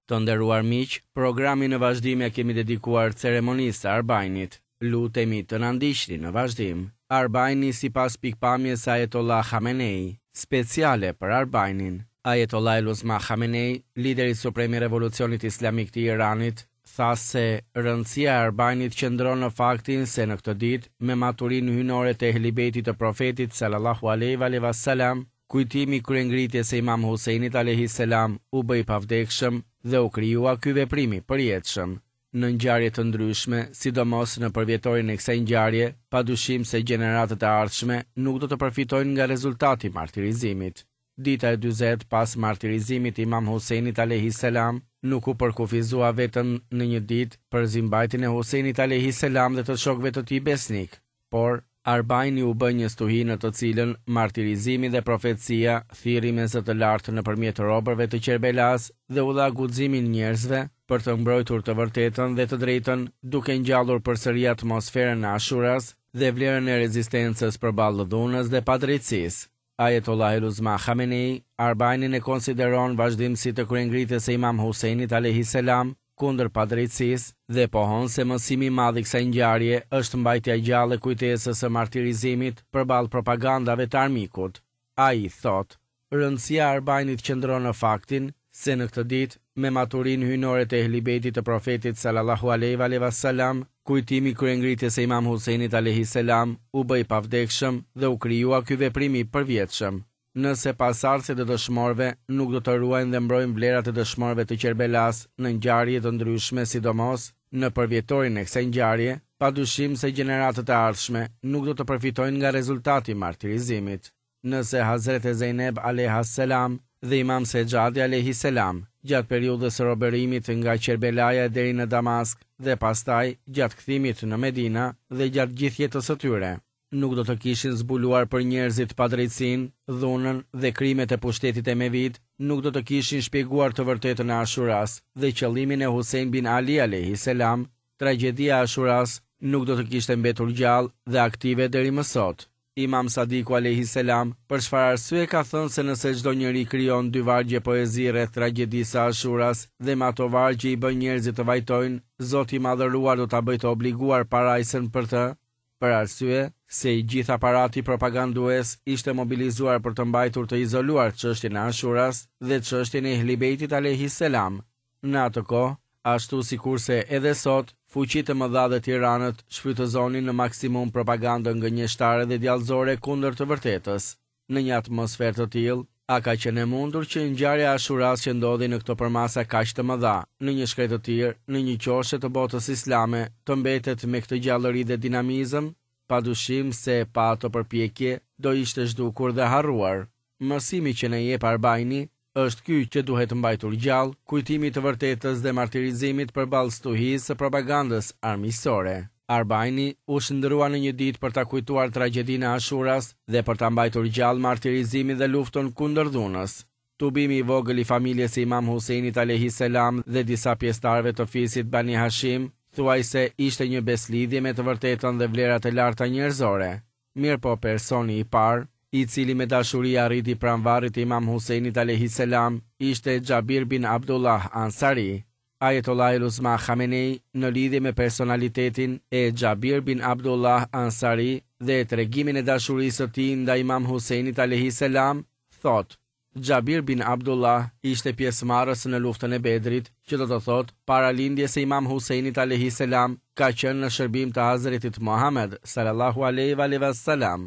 Të nderuar miq, programin në vazhdim ia kemi dedikuar ceremonisë së Arbainit. Lutemi të na ndiqni në vazhdim. Arbaini sipas pikëpamjes së Ajetollah Khamenei. Speciale për Arbainin. Ajetollah el-Uzma Khamenei, lideri suprem i Revolucionit Islamik të Iranit, tha se rëndësia e Arbainit qëndron në faktin se në këtë ditë, me maturinë hyjnore të Ehli Bejtit të Profetit sallallahu alejhi ve alejhi ve selam, Kujtimi i kryengritjes së Imam Husejnit alejhi selam u bë i pavdekshëm dhe u krijua ky veprim i përjetshëm. Në ngjarje të ndryshme, sidomos në përvjetorin e kësaj ngjarje, padyshim se gjeneratët e ardhshme nuk do të përfitojnë nga rezultati i martirizimit. Dita e 40 pas martirizimit të Imam Husejnit alejhi selam nuk u përkufizua vetëm në një ditë për zimbajtjen e Husejnit alejhi selam dhe të shokëve të tij besnikë, Por, Arbaini u bë një stuhi në të cilën martirizimi dhe profecia thirri me zë të lartë nëpërmjet robërve të Qerbelasë dhe u dha guximin njerëzve për të mbrojtur të vërtetën dhe të drejtën duke ngjallur përsëri atmosferën e Ashuras dhe vlerën e rezistencës përballë dhunës dhe padrejtësisë. Ajetollah el-Uzma Khamenei, Arbainin e konsideron vazhdimësi të kryengritjes së Imam Husejnit alejhi selam kundër padrejtësisë dhe pohon se mësimi i madh i kësaj ngjarje është mbajtja gjallë e kujtesës së martirizimit përballë propagandave të armikut. Ai thotë, Rëndësia e Arbainit qëndron në faktin se në këtë ditë, me maturinë hyjnore të Ehli Bejtit të Profetit sallallahu alejhi ve alejhi ve selam, kujtimi i kryengritjes së Imam Husejnit alejhi selam u bë i pavdekshëm dhe u krijua ky veprim i përvjetshëm. Nëse pasardhësit e dëshmorëve nuk do të ruajnë dhe mbrojnë vlerat e dëshmorëve të Qerbelasë në ngjarje të ndryshme sidomos në përvjetorin e kësaj ngjarje, padyshim se gjeneratët e ardhshme nuk do të përfitojnë nga rezultati i martirizimit. Nëse Hazrete Zejneb alejha selam dhe Imam Sexhadi alejhi selam gjatë periudhës së robërimit nga Qerbelaja e deri në Damask dhe pastaj gjatë kthimit në Medina dhe gjatë gjithë jetës së tyre, nuk do të kishin zbuluar për njerëzit padrejtësinë, dhunën dhe krimet e pushtetit emevit, nuk do të kishin shpjeguar të vërtetën e Ashuras dhe qëllimin e Husejn bin Ali alejhi selam, tragjedia e Ashuras nuk do të kishte mbetur gjallë dhe aktive deri më sot. Imam Sadiku alejhi selam, për çfarë arsye ka thënë se nëse çdo njeri krijon dy vargje poezi rreth tragjedisë së Ashuras dhe me ato vargje i bën njerëzit të vajtojnë, Zoti i Madhëruar do ta bëjë të obliguar parajsën për të? Për arsye se i gjithë aparati propagandues ishte mobilizuar për të mbajtur të izoluar çështjen e Ashuras dhe çështjen e Ehli Bejtit alejhi selam. Në atë kohë, ashtu sikurse edhe sot, fuqitë e mëdha dhe tiranët shfrytëzonin në maksimum propagandën gënjeshtare dhe djallëzore kundër të vërtetës. Në një atmosferë të tillë, a ka qenë e mundur që ngjarja e Ashuras që ndodhi në këto përmasa kaq të mëdha, në një shkretëtirë, në një qoshe të botës islame, të mbetet me këtë gjallëri dhe dinamizëm? Padyshim se pa ato përpjekje do ishte zhdukur dhe harruar. Mësimi që na jep Arbaini është ky që duhet mbajtur gjallë kujtimi i të vërtetës dhe martirizimit përballë stuhisë së propagandës armiqësore. Arbaini u shndërrua në një ditë për ta kujtuar tragjedinë e Ashuras dhe për ta mbajtur gjallë martirizimin dhe luftën kundër dhunës. Tubimi i vogël i familjes së Imam Husejnit alejhi selam dhe disa pjesëtarëve të fisit Bani Hashim thuajse ishte një besëlidhje me të vërtetën dhe vlerat e larta njerëzore. Mirëpo personi i parë, i cili me dashuri arriti pranë varrit të Imam Husejnit alejhi selam, ishte Xhabir bin Abdullah Ansari. Ajetollah el-Uzma Khamenei në lidhje me personalitetin e Xhabir bin Abdullah Ansari dhe tregimin e dashurisë së tij ndaj Imam Husejnit alejhi selam, thotë, Xhabir bin Abdullah ishte pjesëmarrës në luftën e Bedrit, që do të thotë para lindjes së Imam Husejnit alejhi selam ka qenë në shërbim të Hazretit Muhamed, salallahu alejhi ve alejhi ve selam.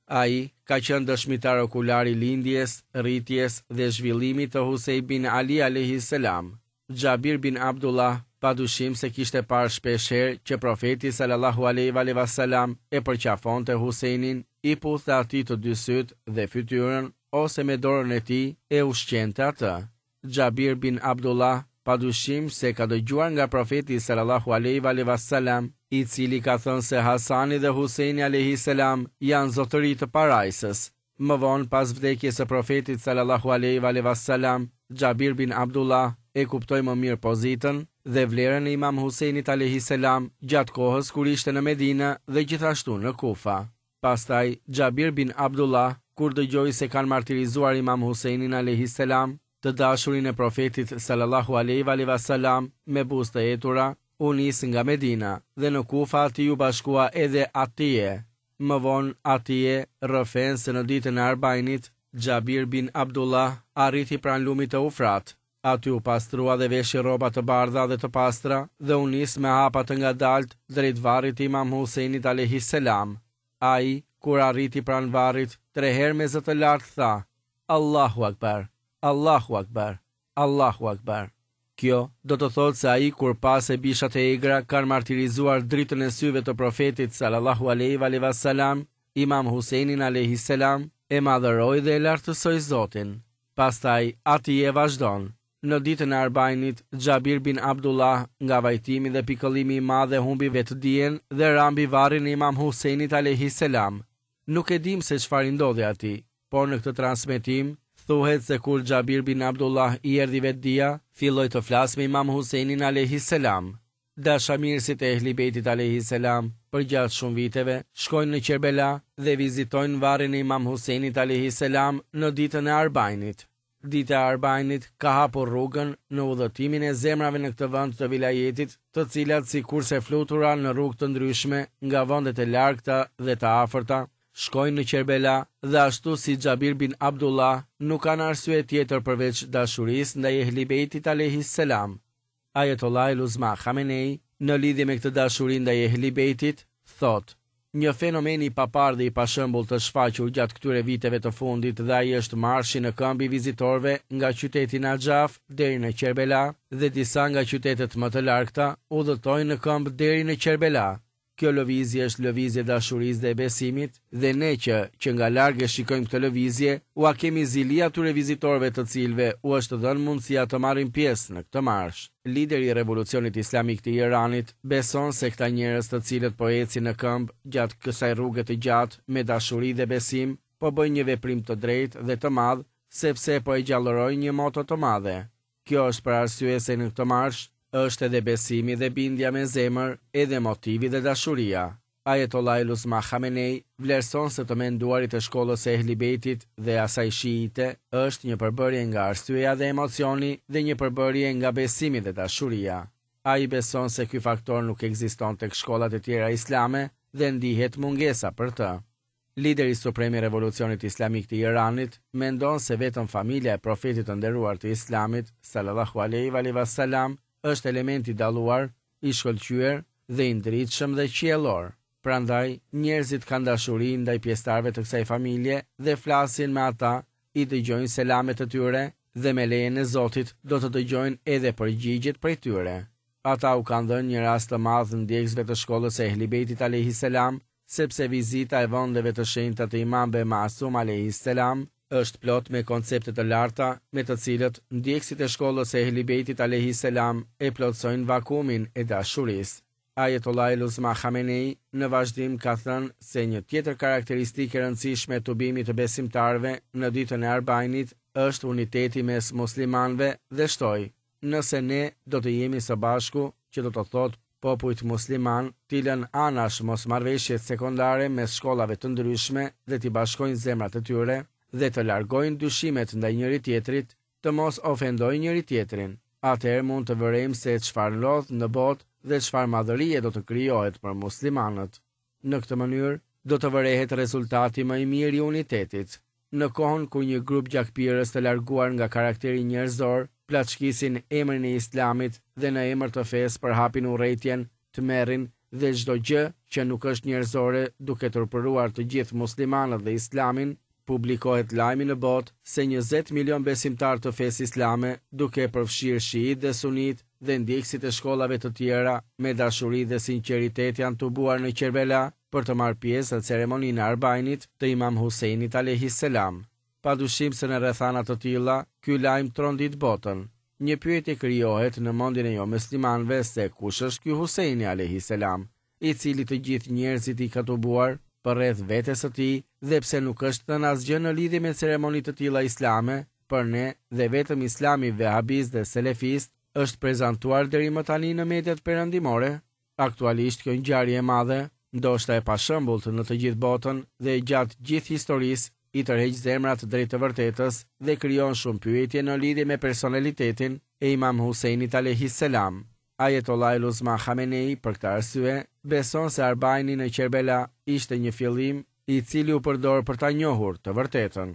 Ai ka qenë dëshmitar okular i lindjes, rritjes dhe zhvillimit të Husejn bin Ali alejhi selam. Xhabir bin Abdullah padyshim se kishte parë shpesh herë që Profeti salallahu alejhi ve alejhi ve selam e përqafonte Husejnin, i puthte atij të dy sytë dhe fytyrën ose me dorën e tij e ushqente atë. Xhabir bin Abdullah padyshim se ka dëgjuar nga Profeti salallahu alejhi ve alejhi ve selam, i cili ka thënë se Hasani dhe Husejni alejhi selam janë zotëri të parajsës. Më vonë, pas vdekjes së Profetit sallallahu alejhi ve alejhi ve selam, Xhabir bin Abdullah e kuptoi më mirë pozitën dhe vlerën e Imam Husejnit alejhi selam gjatë kohës kur ishte në Medinë dhe gjithashtu në Kufa. Pastaj, Xhabir bin Abdullah, kur dëgjoi se kanë martirizuar Imam Husejnin alejhi selam, të dashurin e Profetit sallallahu alejhi ve alihi ve me buzë të etura, u nis nga Medina dhe në Kufa atij iu bashkua edhe Atije. Më vonë Atije rrëfen se në ditën e Arbainit, Xhabir bin Abdullah arriti pranë lumit Eufrat. Aty u pastrua dhe veshi rroba të bardha dhe të pastra dhe u nis me hapa të ngadaltë drejt varrit të Imam Husejnit alejhi selam. Ai, kur arriti pranë varrit, tre herë me zë të lartë tha, Allahu Akbar, Allahu Akbar, Allahu Akbar. Kjo do të thotë se ai kur pa se bishat e egra kanë martirizuar dritën e syve të Profetit sallallahu alejhi ve alihi wasallam, Imam Husejnin alejhi selam, e madhëroi dhe e lartësoi Zotin. Pastaj, Atije vazhdon, Në ditën e Arbainit, Xhabir bin Abdullah, nga vajtimi dhe pikëllimi i madh e humbi vetëdijen dhe ra mbi varrin e Imam Husejnit alejhi selam. Nuk e dimë se çfarë i ndodhi atij, por në këtë transmetim thuhet se kur Xhabir bin Abdullah i erdhi vetëdija, filloi të flasë me Imam Husejnin alejhi selam. Dashamirësit e Ehli Bejtit alejhi selam përgjatë shumë viteve shkojnë në Qerbela dhe vizitojnë varrin e Imam Husejnit alejhi selam në ditën e Arbainit. Dita e Arbainit ka hapur rrugën në udhëtimin e zemrave në këtë vend të vilajetit, të cilat sikurse flutura në rrugë të ndryshme nga vendet e largëta dhe të afërta, shkojnë në Qerbela dhe ashtu si Xhabir bin Abdullah nuk kanë arsye tjetër përveç dashurisë ndaj Ehli Bejtit alejhi selam. Ajetollahil Uzma Khamenei, në lidhje me këtë dashuri ndaj Ehli Bejtit, thotë, Një fenomen i paparë dhe i pashembullt është shfaqur gjatë këtyre viteve të fundit dhe ai është marshi në këmbë i vizitorëve nga qyteti Naxhaf deri në Qerbela dhe disa nga qytetet më të largëta udhëtojnë në këmbë deri në Qerbela. Kjo lëvizje është lëvizje e dashurisë dhe e besimit, dhe ne që, që nga larg e shikojmë këtë lëvizje, ua kemi zili atyre vizitorëve të cilëve u është dhënë mundësia të marrin pjesë në këtë marsh. Lideri i Revolucionit Islamik të Iranit beson se këta njerëz të cilët po ecin në këmbë gjatë kësaj rruge të gjatë me dashuri dhe besim, po bëjnë një veprim të drejtë dhe të madh sepse po e gjallërojnë një moto të madhe. Kjo është për arsye se në këtë marsh është edhe besimi dhe bindja me zemër, edhe motivi dhe dashuria. Ajetollahil Uzma Khamenei vlerëson se të menduarit e shkollës së Ehli Bejtit dhe asaj shiite është një përbërje nga arsyeja dhe emocioni dhe një përbërje nga besimi dhe dashuria. Ai beson se ky faktor nuk ekziston tek shkollat e tjera islame dhe ndihet mungesa për të. Lideri suprem i Revolucionit Islamik të Iranit mendon se vetëm familja e Profetit të nderuar të Islamit, sallallahu alejhi ve alihi ve-selam, është element i dalluar, i shkëlqyer dhe i ndritshëm dhe qiellor. Prandaj, njerëzit kanë dashuri ndaj pjesëtarëve të kësaj familje dhe flasin me ata, i dëgjojnë selamet e tyre dhe me lejen e Zotit do të dëgjojnë edhe përgjigjet prej tyre. Ata u kanë dhënë një rast të madh ndjekësve të shkollës së Ehli Bejtit alejhi selam sepse vizita e vendeve të shenjta të Imamëve Masum alejhi selam është plot me koncepte të larta me të cilët ndjekësit e shkollës së Ehli Bejtit alejhi selam e plotësojnë vakumin e dashurisë. Ajetollahil Uzma Khamenei në vazhdim ka thënë se një tjetër karakteristikë e rëndësishme e tubimit të besimtarëve në ditën e Arbainit është uniteti mes muslimanëve dhe shtoi, Nëse ne do të jemi së bashku, që do të thotë popujt muslimanë, t'i lënë anash mosmarrëveshjet sekondare mes shkollave të ndryshme dhe t'i bashkojnë zemrat e tyre, dhe të largojnë dyshimet ndaj njëri-tjetrit, të mos ofendojnë njëri-tjetrin, atëherë mund të vërejmë se çfarë ndodh në botë dhe çfarë madhërie do të krijohet për muslimanët. Në këtë mënyrë, do të vërehet rezultati më i mirë i unitetit. Në kohën kur një grup gjakpirës të larguar nga karakteri njerëzor plaçkisin emrin e Islamit dhe në emër të fesë përhapin urrejtjen, tmerrin dhe çdo gjë që nuk është njerëzore duke turpëruar të gjithë muslimanët dhe Islamin, publikohet lajmi në botë se 20 milionë besimtarë të fesë islame, duke përfshirë shiitë dhe sunitë dhe ndjekësit e shkollave të tjera, me dashuri dhe sinqeritet janë tubuar në Qerbela për të marrë pjesë në ceremoninë e Arbainit të Imam Husejnit alejhi selam. Padyshim se në rrethana të tilla, ky lajm trondit botën. Një pyetje krijohet në mendjen e jomuslimanëve se kush është ky Husejni alejhi selam, i cili të gjithë njerëzit i ka tubuar përreth vetes së tij dhe pse nuk është thënë asgjë në lidhje me ceremoni të tilla islame, për ne dhe vetëm islami vehabist dhe selefist është prezantuar deri më tani në mediat perëndimore. Aktualisht kjo ngjarje e madhe, ndoshta e pashembullt në të gjithë botën dhe gjatë gjithë historisë, i tërheq zemrat drejt të vërtetës dhe krijon shumë pyetje në lidhje me personalitetin e Imam Husejnit alejhi selam. Ajetollahul Uzma Khamenei për këtë arsye beson se Arbaini në Qerbela ishte një fillim i cili u përdor për ta njohur të vërtetën.